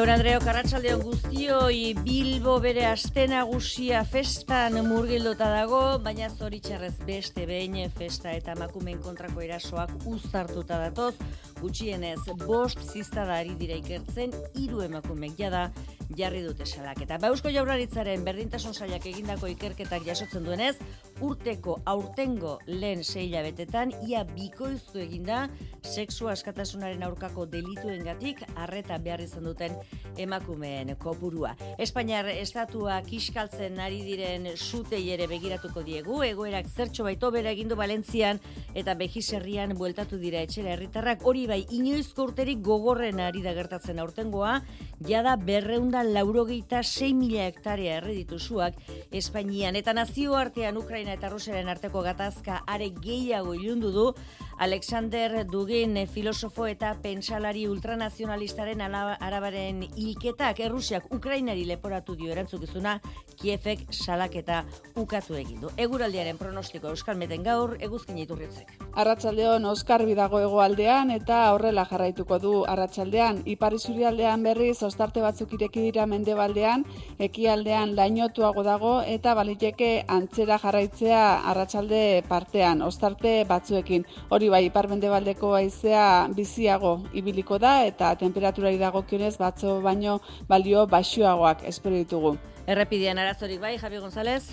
Jaun Andreok, arratsaldeon guztioi. Bilbo bere aste nagusia festan murgilduta dago, baina zoritxarrez beste behin festa eta emakumeen kontrako erasoak uztartuta datoz. Gutxienez 5 ziztada ari dira ikertzen, 3 emakumeek jada jarri dute salaketa. Eusko Jaurlaritzaren berdintasun sailak egindako ikerketak jasotzen duenez, urteko aurtengo lehen 6 hilabetetan ia bikoiztu eginda sexu askatasunaren aurkako delituengatik arreta behar izan duten emakumeen kopurua. Espainiar estatua kiskaltzen ari diren sutei ere begiratuko diegu, egoerak zertxo baito bera egindu Valentzian eta Bejiserrian bueltatu dira etxera herritarrak. Hori bai, inoizko urterik gogorren ari da gertatzen aurtengoa, jada 296.000 hektarea erreditu zuak Espainian, eta nazioartean Ukraina eta Rusiaren arteko gatazka are gehiago ilundu du. Alexander Dugin, filosofo eta pentsalari ultranazionalistaren arabaren hilketak Errusiak Ukrainari leporatu dio erantzukizuna, Kievek salaketa ukatu egin du. Eguraldiaren pronostiko Euskalmeten gaur, Eguzkin Iturritzek. Arratsaldeon oskarbi dago hegoaldean eta horrela jarraituko du arratsaldean. Ipar isurialdean berriz ostarte batzuk ireki dira mendebaldean, ekialdean lainotuago dago eta baliteke antzera jarraitzea arratsalde partean, ostarte batzuekin. Hori bai, ipar-mendebaldeko haizea biziago ibiliko da eta temperaturari dagokionez batzo baino balio baxuagoak espero ditugu. Errepidean arazorik bai, Javi González?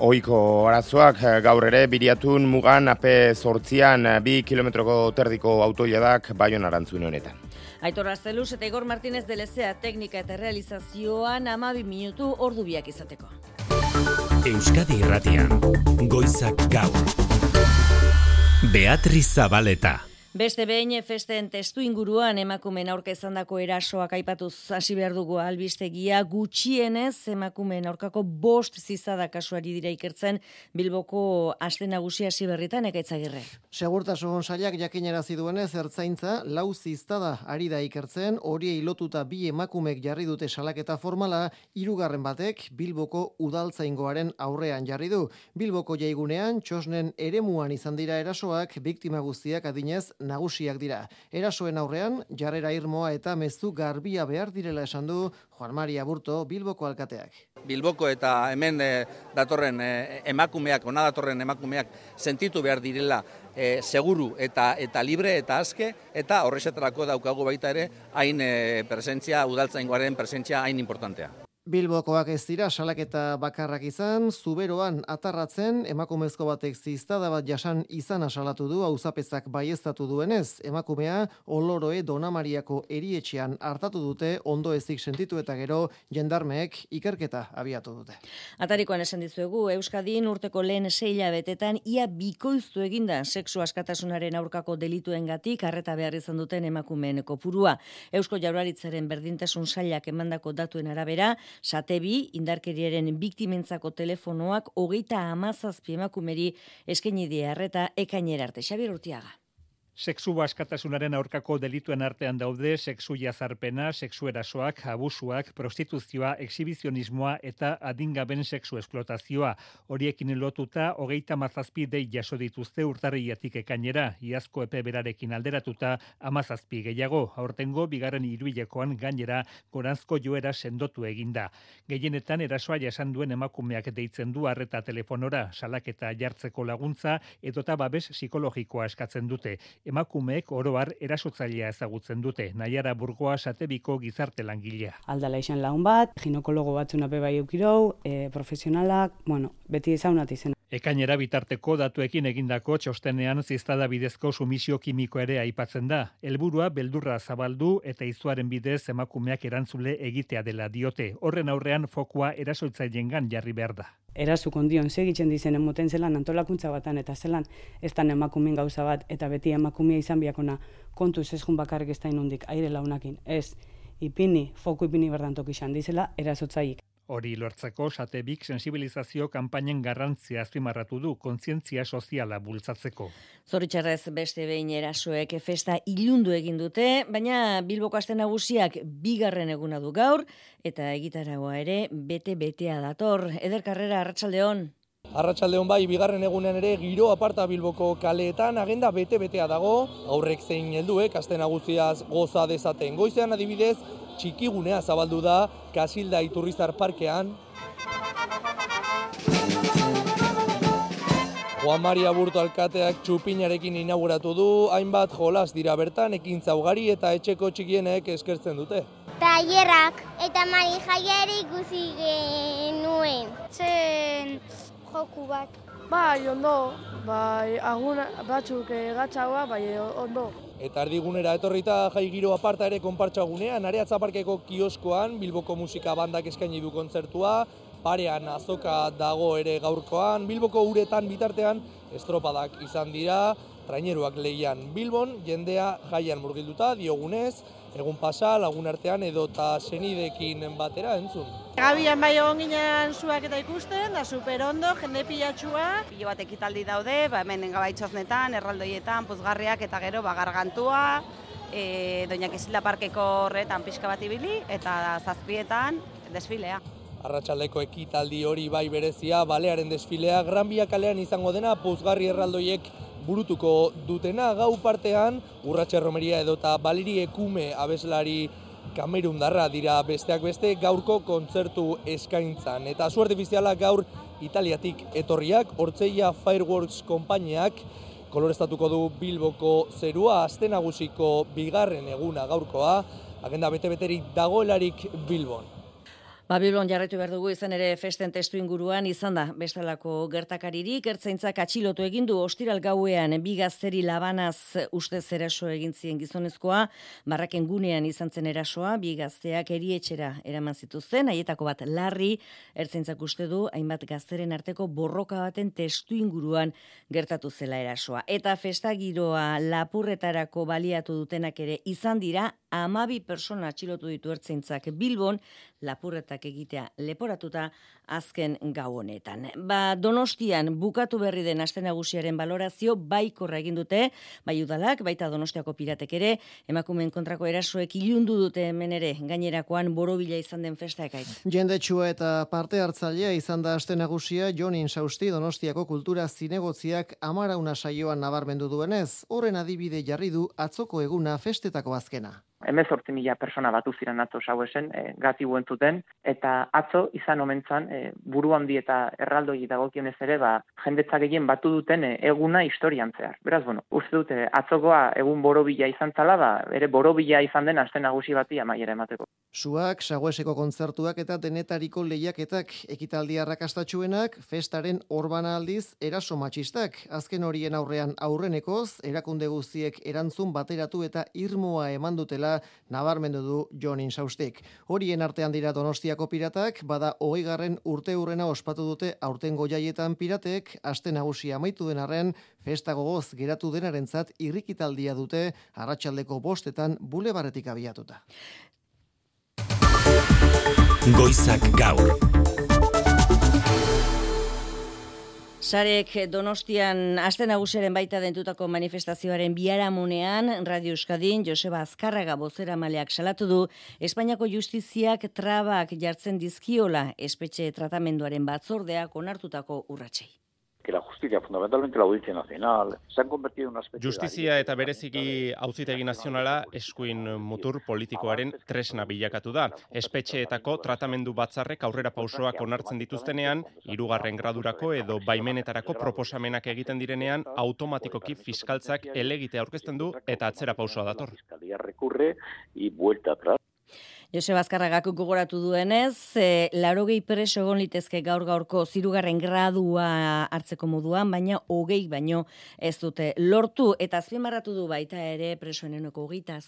Ohiko arazoak gaur ere Biriatun mugan AP8an 2 kilometroko terdiko autoiladak Baiona arantzune honetan. Aitor Arzeluz eta Igor Martínez de Lezea teknika eta realizazioan 12 minutu ordu biak izateko. Euskadi Irratian, goizak gaur. Beatriz Zabaleta. Beste behin festen testu inguruan emakumeen aurka izandako erasoak aipatuz hasi behar dugu albistegia. Gutxienez emakumeen aurkako 5 zizada kasuari dira ikertzen Bilboko aste nagusia hasi berritan. Ekaitzagirre. Segurtasun sailak jakinarazi duenez ertzaintza 4 ziztada ari da ikertzen, horiei lotuta 2 emakumek jarri dute salaketa formala, 3. batek Bilboko udaltzaingoaren aurrean jarri du. Bilboko jaigunean txosnen eremuan izan dira erasoak, biktima guztiak adinez nagusiak dira. Erasoen aurrean, jarrera irmoa eta mezu garbia behar direla esan du Juan Mari Aburto, Bilboko alkateak. Bilboko eta hemen datorren emakumeak, ona datorren emakumeak sentitu behar direla seguru eta libre eta aske, eta horrexetarako daukagu baita ere hain presentzia, udaltzaingoaren presentzia hain importantea. Bilbokoak ez dira salaketa bakarrak izan, Zuberoan atarratzen emakumezko batek ziztada bat jasan izana salatu du auzapezak baieztatu duenez. Emakumea Oloroe Donamariako erietxean hartatu dute, ondo ezik sentitu eta gero jendarmeek ikerketa abiatu dute. Atarikoan esan dizuegu, Euskadin urteko lehen 6 hilabetetan ia bikoiztu eginda sexu askatasunaren aurkako delituengatik arreta behar izan duten emakumeen kopurua. Eusko Jaurlaritzaren berdintasun sailak emandako datuen arabera, Satebi, indarkeriaren biktimentzako telefonoak 37 emakumeri eskaini die arreta ekainera arte. Xabier Urtiaga. Sexu askatasunaren aurkako delituen artean daude sexu jazarpena, sexu erasoak, abusuak, prostituzioa, exhibizionismoa eta adingaben sexu esplotazioa. Horiekin lotuta 37 dei jaso dituzte urtarriletik ekainera, iazko epe berarekin alderatuta 17 gehiago. Aurtengo bigarren hiruhilekoan gainera goranzko joera sendotu eginda. Gehienetan erasoa jasan duen emakumeak deitzen du arreta telefonora, salaketa jartzeko laguntza edota babes psikologikoa eskatzen dute. Emakumeek oro har erasotzailea ezagutzen dute. Naiara Burgoa Satebiko gizarte langilea. Aldala izan lagun bat, ginekologo batzuna bai eukirou, profesionalak, beti ezaunat izena. Ekainera bitarteko datuekin egindako txostenean ziztada bidezko sumisio kimiko ere aipatzen da. Helburua beldurra zabaldu eta izuaren bidez emakumeak erantzule egitea dela diote. Horren aurrean fokua erasoitzailengan jarri behar da. Erasu kondion segitzen dizen emoten zelan antolakuntza batan eta zelan ez da emakumen gauza bat eta beti emakumea izan biakona kontuz ez jun bakarrik ez da inundik aire launakin. Ez, foku ipini berdantok izan dizela erasotzaik. Hori lortzeko Satebik sensibilizazio kanpainen garrantzia azpimarratu du kontzientzia soziala bultzatzeko. Zoritxarrez beste behin erasoek festa ilundu egin dute, baina Bilboko aste nagusiak 2. eguna du gaur eta egitaragoa ere bete-betea dator. Eder Karrera, arratsaldeon. Arratsaldeon bai, bigarren egunean ere giro aparta Bilboko kaleetan agenda bete-betea dago, aurrek zein helduek aste nagusiaz goza dezaten. Goizean adibidez, txikigunea zabaldu da Kasilda Iturrizar parkean. Juan Maria Burto alkateak txupinarekin inauguratu du, hainbat jolas dira bertan, ekintza ugari eta etxeko txikienek eskertzen dute. Tailerrak eta marijaiari ikusi genuen. Zen joku bat. Bai, ondo, bai, agun batzuk gatzaua, bai, ondo. Eta erdigunera etorrita jai giro aparta ere konpartsagunean, Areatza Parkeko kioskoan Bilboko musika bandak eskaini du kontzertua, parean azoka dago ere gaurkoan, Bilboko uretan bitartean estropadak izan dira, traineruak lehian Bilbon, jendea jaian murgilduta, diogunez, egun pasa, lagun artean edota senidekin batera entzun. Gabian bai egon ginen zuak eta ikusten, da super ondo, jende pilatxua. Pilo bat ekitaldi daude, hemen gabaitxoznetan, erraldoietan, puzgarriak eta gero gargantua, Doña Kasilda Parkeko horretan pixka bat ibili, eta zazpietan desfilea. Arratsaldeko ekitaldi hori bai berezia, balearen desfilea, Gran Bia kalean izango dena, puzgarri erraldoiek burutuko dutena, gau partean, Urratxe Romeria edota Baliri Ekume abeslari kamerundarra dira besteak beste gaurko kontzertu eskaintzan. Eta zu artifiziala gaur Italiatik etorriak, Ortzeia Fireworks konpainiak koloreztatuko du Bilboko zerua, aste nagusiko bigarren eguna gaurkoa, agenda bete-beterik dagoelarik Bilbon. Bilbon jarraitu behar dugu izan ere festen testu inguruan izan da bestelako gertakaririk, ertzaintzak atxilotu egin du ostiral gauean bi gazteri labanaz ustez eraso egin zien gizonezkoa, Barraken gunean izan zen erasoa, bi gazteak erietxera eraman zituzten, haietako bat larri, ertzaintzak uste du hainbat gazteren arteko borroka baten testu inguruan gertatu zela erasoa. Eta festa giroa lapurretarako baliatu dutenak ere izan dira, 12 persona atxilotu ditu ertzaintzak Bilbon, lapurretak egitea leporatuta azken gau honetan. Donostian bukatu berri den aste nagusiaren balorazio baikorra egin dute, bai udalak, baita Donostiako piratek ere, emakumeen kontrako erasoek ilundu dute hemen ere, gainerakoan borobila izan den festa ekaitz. Jendetsua eta parte hartzailea izan da aste nagusia Jon Insausti Donostiako kultura zinegotziak amarauna saioan nabarmendu duenez, horren adibide jarri du atzoko eguna festetako azkena. 18.000 persona batu ziren atzo sauesen, gati entzuten, eta atzo izan omentzan, buru handi eta erraldoi dagokionez ere, jendetza gehien batu duten eguna historian zehar. Beraz, uste dute, atzokoa egun borobila izan zala, ere borobila izan den aste nagusi bati amaiera emateko. Suak, Sagueseko kontzertuak eta denetariko lehiaketak ekitaldi arrakastatsuenak, festaren orbana aldiz eraso matxistak. Azken horien aurrean aurrenekoz, erakunde guztiek erantzun bateratu eta irmoa eman dutela nabarmendu du Jon Insaustik. Horien artean dira Donostiako piratak, bada 20. urteurrena ospatu dute aurtengo jaietan piratek, aste nagusia amaitu den arren, festa gogoz geratu denarentzat irrikitaldia dute arratsaldeko 5 bulebarretik abiatuta. Goizak gaur. Sarek Donostian aste nagusiaren baita dentutako manifestazioaren biharamunean Radio Euskadin Joseba Azkarraga bozeramaleak salatu du Espainiako justiziak trabak jartzen dizkiola espetxe tratamenduaren batzordeak onartutako urratsei. Que la justicia, fundamentalmente la Audiencia Nacional, se han convertido en una especie Justizia eta bereziki Auzitegi Nazionala eskuin mutur politikoaren tresna bilakatu da. Espetxeetako tratamendu batzarrek aurrera pausoak onartzen dituztenean, 3. gradurako edo baimenetarako proposamenak egiten direnean, automatikoki fiskaltzak helegitea aurkezten du eta atzera pausoa dator. Fiscalía recurre y vuelta atrás. Joseba Azkarragak gogoratu duenez, 80 preso egon litezke gaur-gaurko 3. gradua hartzeko moduan, baina 20 baino ez dute lortu, eta azpimarratu du baita ere presoen 28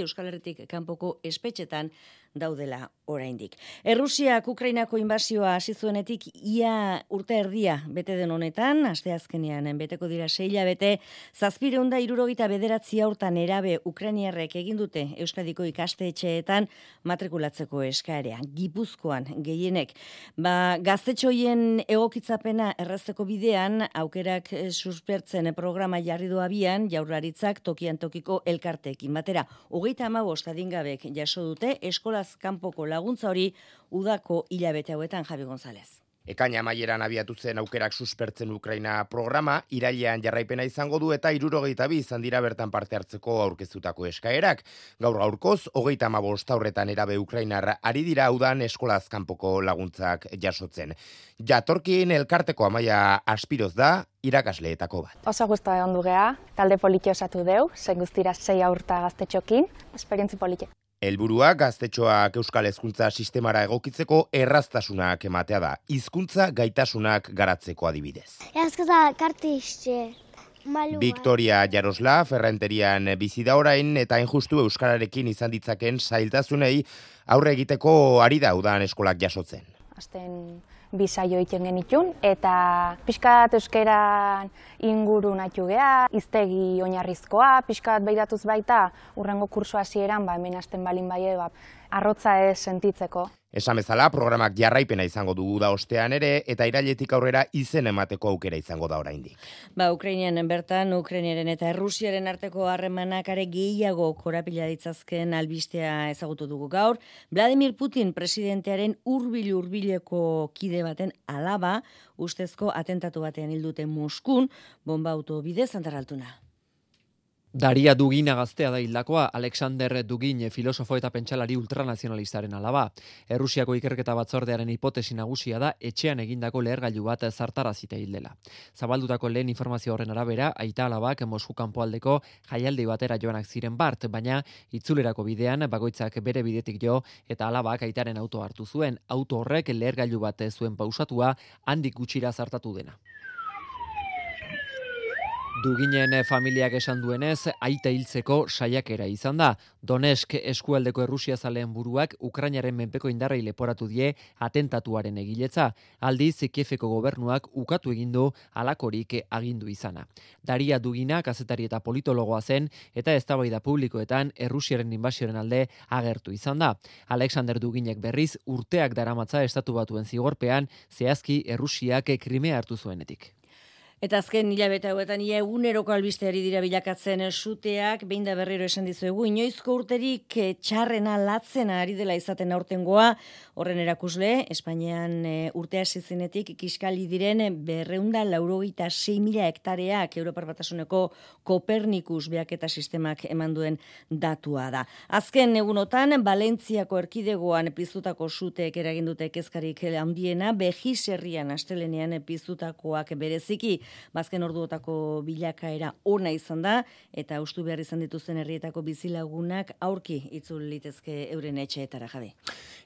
Euskal Herritik kanpoko espetxetan daudela oraindik. Errusiak Ukrainako inbasioa hasi zuenetik ia urte erdia bete den honetan, asteazkenean beteko dira 6 hilabete, 769 haurtan nerabe ukrainiarrek egin dute Euskadiko ikastetxeetan matrikulatzeko eskaerean, Gipuzkoan gehienek. Gaztetxoien egokitzapena errazteko bidean, aukerak suspertzen programa jarri du abian, Jaurlaritzak tokian tokiko elkarteekin batera. 35 adingabek jaso dute eskolaz kanpoko laguntza hori udako hilabete hauetan, Javi González. Ekaina amaieran abiatu zen aukerak suspertzen Ukraina programa, irailean jarraipena izango du eta 72 izan dira bertan parte hartzeko aurkeztutako eskaerak. Gaurkoz, 35 haurretan erabe Ukrainar ari dira udan eskolaz kanpoko laguntzak jasotzen. Jatorkien elkarteko Amaia Aspiroz da irakasleetako bat. Oso gustu egon dugea, talde poliki osatu deu, zen guztira 6 aurta gaztetxokin, esperientzi poliki. Helburua gaztetxoak euskal hezkuntza sistemara egokitzeko erraztasunak ematea da, hizkuntza gaitasunak garatzeko adibidez. Victoria Jarosla Ferrenterian bizi da orain eta injustu euskararekin izan ditzaken zailtasunei aurre egiteko ari da udan eskolak jasotzen. Azten bisaio egiten genitun, eta pixkat euskeran inguru nahitu geha, iztegi oinarrizkoa, pixkat behiratuz baita, urrengo kurso hasieran, hemen hasten balin bai, arrotza ez sentitzeko. Esan bezala, programak jarraipena izango dugu da ostean ere, eta irailetik aurrera izen emateko aukera izango da oraindik. Ukrainian bertan, Ukrainiaren eta Errusiaren arteko harremanak are gehiago korapila ditzazken albistea ezagutu dugu gaur. Vladimir Putin presidentearen hurbileko kide baten alaba, ustezko atentatu batean hilduten Moskun, bomba auto bidez Antarraltuna. Daria Dugina gaztea da hildakoa, Alexander Dugin filosofo eta pentsalari ultranazionalistaren alaba. Errusiako ikerketa batzordearen hipotesi nagusia da etxean egindako lehergailu bat zartarazita hildela. Zabaldutako lehen informazio horren arabera, aita alabak Mosku kanpoaldeko jaialdi batera joanak ziren bart, baina itzulerako bidean bakoitzak bere bidetik jo eta alabak aitaren auto hartu zuen. Auto horrek lehergailu bat zuen pausatua handik gutxira zartatu dena. Duginen familiak esan duenez, aita hiltzeko saiakera izan da. Donetsk eskualdeko errusiazaleen buruak Ukrainaren menpeko indarrei leporatu die atentatuaren egiletza. Aldiz, Kieveko gobernuak ukatu egindu halakorik agindu izana. Daria Dugina kazetari eta politologoa zen eta eztabaida publikoetan Errusiaren inbasioaren alde agertu izan da. Alexander Duginek berriz urteak daramatza estatu batuen zigorpean, zehazki Errusiak Krimea hartu zuenetik. Eta azken hilabete hauetan eguneroko albisteari dira bilakatzen suteak, behin da berriro esan dizuegu, inoizko urterik txarrena latzena ari dela izaten aurtengoa, horren erakusle, Espainian urtea zizenetik kiskali diren 286.000 hektareak Europar Batasuneko Kopernikus beaketa sistemak eman duen datua da. Azken egunotan, Valentziako erkidegoan piztutako suteek eragindute kezkarik handiena, Bejiz herrian astelenean piztutakoak bereziki, bazken orduotako bilakaera ona izan da, eta ustu behar izan dituzten herrietako bizilagunak aurki itzul litezke euren etxeetara, Javi.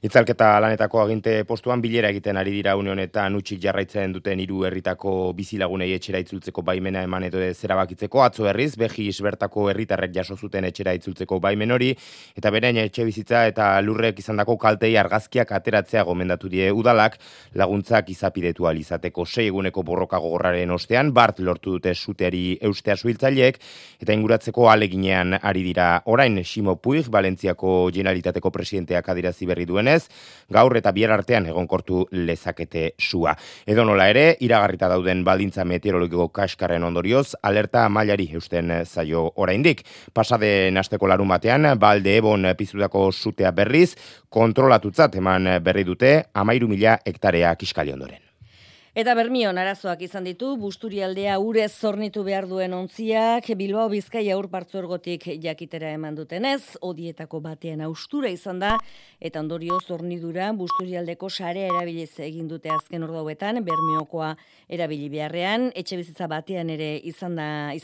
Itzalketa lanetako aginte postuan bilera egiten ari dira une honetan utxik jarraitzen duten 3 herritako bizilagunei etxera itzultzeko baimena eman edo zerabakitzeko. Atzo berriz, Bejiz bertako herritarrek jaso zuten etxera itzultzeko baimen hori, eta beren etxe bizitza eta lurrek izandako kaltei argazkiak ateratzea gomendatu die udalak, laguntzak izapidetu ahal izateko 6 eguneko borroka gogorraren ostean, bart lortu dute suteari eustea suhiltzaileek, eta inguratzeko ahaleginean ari dira orain. Ximo Puig, Valentziako Generalitateko presidenteak adierazi berri duenez, gaur eta bihar artean egonkortu lezakete sua. Edonola ere, iragarrita dauden baldintza meteorologiko kaskarren ondorioz, alerta mailari eusten zaio oraindik. Pasaden asteko larun batean, Balde Ebon piztutako sutea berriz, kontrolatutzat eman berri dute 13.000 hektarea kiskali ondoren. Eta Bermion arazoak izan ditu, Busturialdea urez zornitu behar duen ontziak, Bilbao Bizkaia ur partzuergotik jakitera eman dutenez, odietako batean austura izan da, eta ondorio zornidura Busturialdeko sarea erabiliz egin dute azken ordauetan, Bermiokoa erabili beharrean, etxe bizitza batean ere izan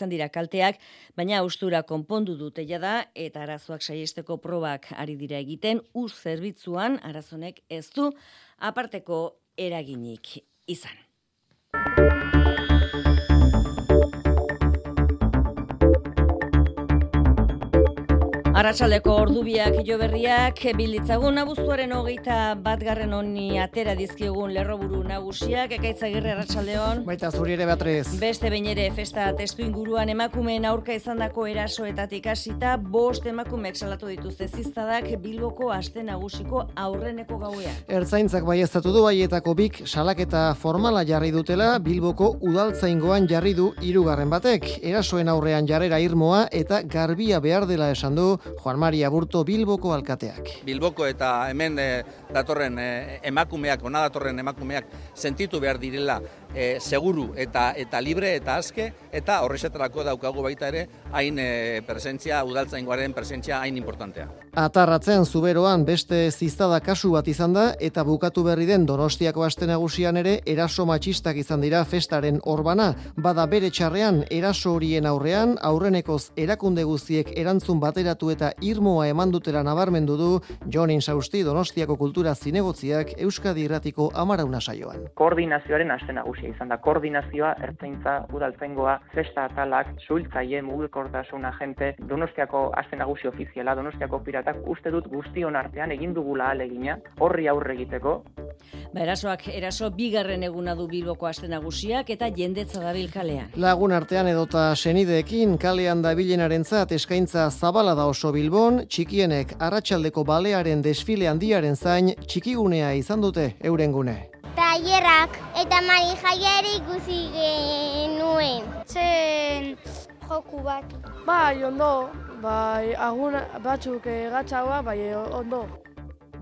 dira kalteak, baina austura konpondu dute jada, eta arazoak saiesteko probak ari dira egiten, ur zerbitzuan arazonek ez du aparteko eraginik izan. Arratsaldeko ordubiak jo berriak bilitzagun abuztuaren 21 honi atera dizkiegun lerroburu nagusiak. Ekaitz Agirre, arratsaldeon. Baita zuri ere, Beatriz. Beste behin ere festa testu inguruan emakumeen aurka izandako erasoetatik hasita 5 emakumeek salatu dituzte ziztadak Bilboko aste nagusiko aurreneko gauean. Ertzaintzak baieztatu du haietako 2 salaketa formala jarri dutela, Bilboko udaltzaingoan jarri du 3. batek. Erasoen aurrean jarrera irmoa eta garbia behar dela esan du Juan Mari Aburto Bilboko alkateak. Bilboko eta hemen datorren emakumeak, ona datorren emakumeak sentitu behar direla seguru eta libre eta aske, eta horrexetarako daukagu baita ere hain presentzia, udaltzaingoaren presentzia hain importantea. Atarratzen Zuberoan beste ziztada kasu bat izan da, eta bukatu berri den Donostiako aste nagusian ere eraso matxistak izan dira festaren orbana. Bada bere txarrean eraso horien aurrean, aurrenekoz erakunde guztiek erantzun bateratu eta irmoa eman dutela nabarmendu du Jon Insausti Donostiako kultura zinegotziak Euskadi Irratiko Amarauna saioan. Koordinazioaren aste nagusia izan da. Koordinazioa, ertzaintza, udaltzaingoa, festa atalak, suhiltzaile, mugikortasun agente, Donostiako aste nagusi ofiziala, Donostiako piratak, uste dut guztion artean egin dugula ahalegina horri aurre egiteko. Eraso bigarren eguna du Bilboko aste nagusiak eta jendetza dabil kalean. Lagun artean edota senideekin kalean dabilenarentzat eskaintza zabala da oso Bilbon, txikienek arratsaldeko balearen desfile handiaren zain txikigunea izan dute euren gune. Tailerrak eta marijaiari ikusi genuen. Zen joku bat. Bai, ondo. Bai, agun batzuk gatzaua, bai, ondo.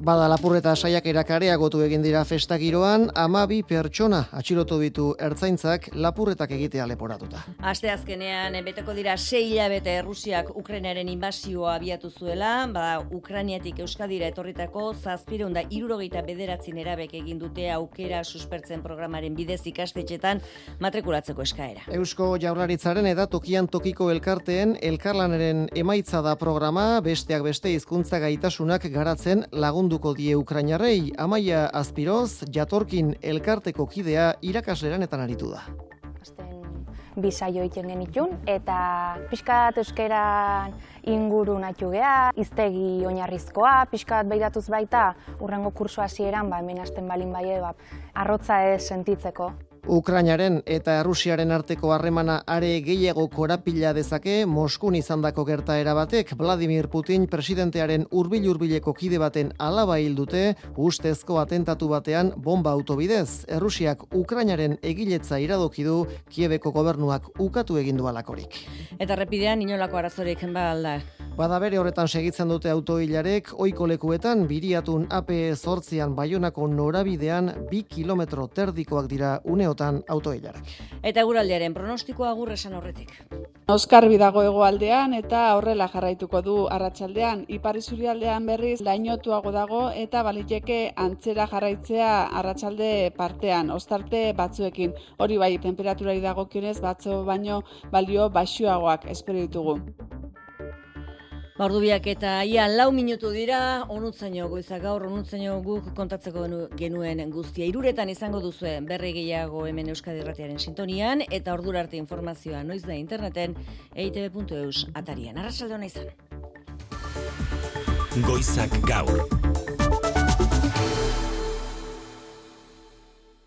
Bada lapurreta saiakerak areagotu egin dira festa giroan, 12 pertsona atxilotu ditu ertzaintzak lapurretak egitea leporatuta. Asteazkenean beteko dira 6 hilabete Errusiak Ukrainaren inbasioa abiatu zuela, Ukrainiatik Euskadira etorritako 769 nerabek egin dute aukera suspertzen programaren bidez ikastetxetan matrikulatzeko eskaera. Eusko Jaurlaritzaren eta tokian tokiko elkarteen elkarlanaren emaitza da programa, besteak beste hizkuntza gaitasunak garatzen lagunduko die Ukrainarrei. Amaia Azpiroz, Jatorkin elkarteko kidea irakasleran aritu da. Bi saio egiten genitun, eta pixkat euskeran inguru natu geha, hiztegi oinarrizkoa, pixkat beiratuz baita, urrengo kurso hasieran, hemen hasten balin baie, arrotza ez sentitzeko. Ukrainaren eta Errusiaren arteko harremana are gehiago korapila dezake Moskun izandako gertaera batek. Vladimir Putin presidentearen hurbil-hurbileko kide baten alaba hil dute ustezko atentatu batean bomba autobidez. Errusiak Ukrainaren egiletza iradoki du, Kiebeko gobernuak ukatu egin du halakorik. Eta errepidean inolako arazorik alda. Bada bere horretan segitzen dute autoilarek, ohiko lekuetan Biriatun AP8an Baionako norabidean 2 kilometro terdikoak dira uneotan autoilarak. Eta eguraldiaren pronostikoa agur esan horretik. Oskarbi dago hegoaldean eta horrela jarraituko du arratsaldean. Ipar isurialdean berriz lainotuago dago eta baliteke antzera jarraitzea arratsalde partean, ostarte batzuekin. Hori bai, temperaturari dagokionez batzo baino balio baxuagoak espero ditugu. Ordubiak eta ia 4 minutu dira, onutzaino goizak gaur, onutzaino guk kontatzeko genuen guztia. 3 izango duzue berri gehiago hemen Euskadi Irratiaren sintonian, eta ordura arte informazioa noiz da interneten eitb.eus atarian. Arratsalde ona izan. Goizak gaur.